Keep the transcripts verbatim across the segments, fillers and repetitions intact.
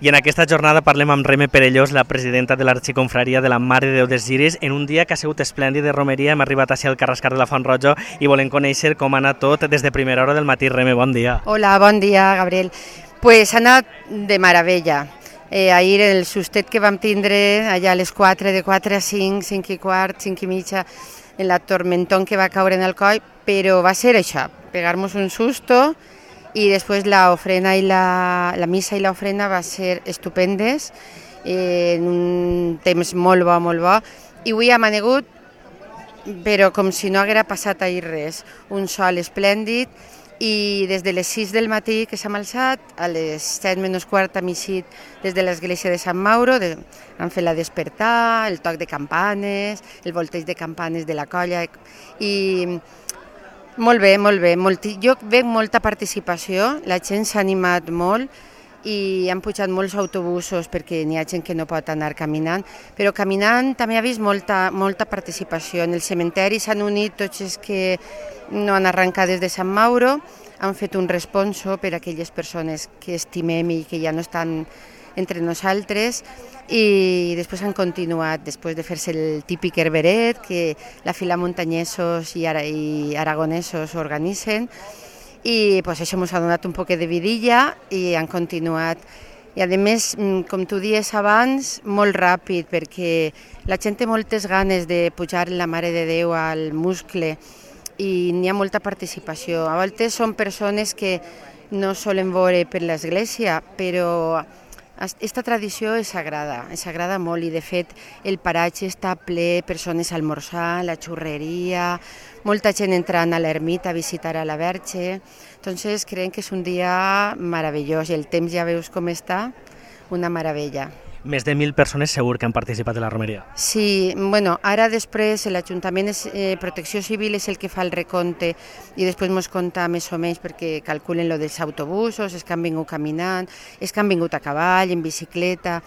I en aquesta jornada parlem amb Reme Perellós, la presidenta de l'Arxiconfraria de la Mare de Déu dels Lliris, en un dia que ha sigut esplèndid de romeria. Hem arribat així al Carrascar de la Font Roja i volem conèixer com ha anat tot des de primera hora del matí. Reme, bon dia. Hola, bon dia, Gabriel. Pues ha anat de meravella. Eh, ahir el sustet que vam tindre allà a les quatre, de quatre a cinc, cinc i quart, cinc i mitja, en la tormentón que va caure en el coll, però va ser això, pegar-nos un susto. I després la ofrena i la, la missa i l'ofrena va ser estupendes, eh, en un temps molt bo, molt bo. I avui hem anegut, però com si no haguera passat ahir res. Un sol esplèndid i des de les sis del matí que s'ha alçat, a les set menys quart hem eixit des de l'església de Sant Mauro, de, han fet la despertar, el toc de campanes, el volteig de campanes de la colla i... Molt bé, molt bé. Molti... Jo veig molta participació, la gent s'ha animat molt i han pujat molts autobusos perquè n'hi ha gent que no pot anar caminant, però caminant també ha vist molta, molta participació. En el cementeri s'han unit tots els que no han arrencat des de Sant Mauro, han fet un responso per a aquelles persones que estimem i que ja no estan entre nosaltres, i després han continuat, després de fer-se el típic herberet que la Fila Muntanyesos i, ara, i Aragonesos organitzen, i pues, això ens ha donat un poc de vidilla i han continuat. I a més, com tu dies abans, molt ràpid, perquè la gent té moltes ganes de pujar la Mare de Déu al muscle i n'hi ha molta participació. A vegades són persones que no solen veure per l'església, però aquesta tradició és sagrada, és sagrada molt, i de fet el paratge està ple, persones almorzant, la xurreria, molta gent entrant a l'ermita a visitar a la Verge. Entonces creiem que és un dia meravellós i el temps ja veus com està, una meravella. Més de mil persones segur que han participat en la romeria. Sí, bueno, ara després l'Ajuntament eh, Protecció Civil és el que fa el recompte i després ens compta més o menys perquè calculen lo dels autobusos, és que han vingut caminant, és que han vingut a cavall, en bicicleta,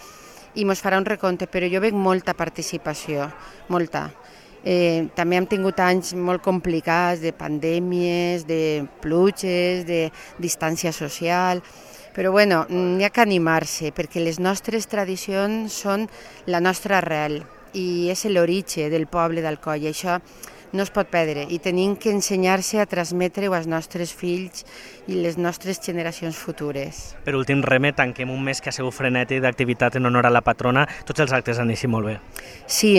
i ens farà un recompte, però jo veig molta participació, molta. Eh, també hem tingut anys molt complicats de pandèmies, de pluges, de distància social. Però bueno, n'hi ha que animar-se, perquè les nostres tradicions són la nostra arrel i és l'origen del poble d'Alcoi, i això no es pot perdre, i tenim que ensenyar-se a transmetre-ho als nostres fills i les nostres generacions futures. Per últim, Reme, tanquem un mes que ha sigut frenètic d'activitat en honor a la patrona. Tots els actes han eixit molt bé. Sí,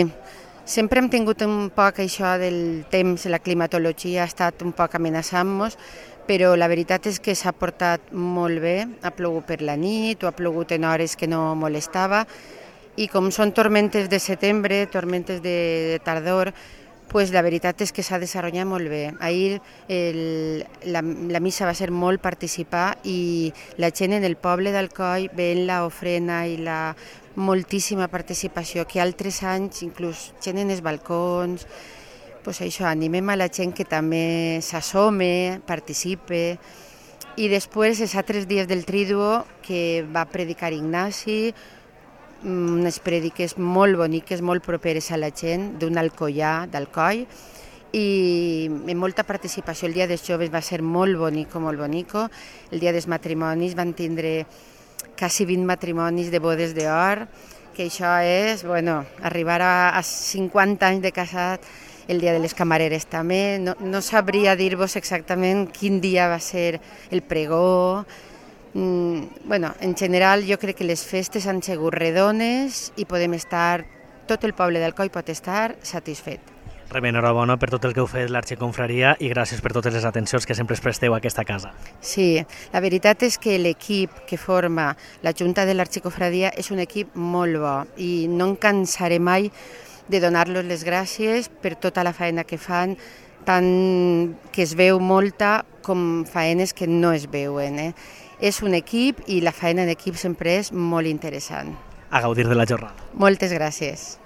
sempre hem tingut un poc això del temps, la climatologia ha estat un poc amenaçant-nos, però la veritat és que s'ha portat molt bé, ha plogut per la nit o ha plogut en hores que no molestava, i com són tormentes de setembre, tormentes de, de tardor, pues la veritat és que s'ha desenvolupat molt bé. Ahir el, la, la missa va ser molt participar i la gent en el poble d'Alcoi veient l'ofrena i la moltíssima participació, que altres anys inclús gent en els balcons. Pues això, animem a la gent que també s'assome, participe. I després, els altres dies del Tríduo, que va predicar Ignasi, unes prediques molt boniques, molt properes a la gent, d'un alcoià d'Alcoi, i amb molta participació. El dia dels joves va ser molt bonico, molt bonico. El dia dels matrimonis van tindre quasi vint matrimonis de bodes d'or, que això és, bueno, arribar a, a cinquanta anys de casat. El dia de les camareres també, no, no sabria dir-vos exactament quin dia va ser el pregó. Mm, bueno, en general jo crec que les festes han sigut redones i podem estar, tot el poble d'Alcoi pot estar satisfet. Reme, enhorabona per tot el que heu fet l'Arxiconfraria i gràcies per totes les atencions que sempre es presteu a aquesta casa. Sí, la veritat és que l'equip que forma la Junta de l'Arxiconfraria és un equip molt bo i no em cansaré mai de donar-los les gràcies per tota la feina que fan, tant que es veu molta com feines que no es veuen. Eh? És un equip i la feina en equip sempre és molt interessant. A gaudir de la jornada. Moltes gràcies.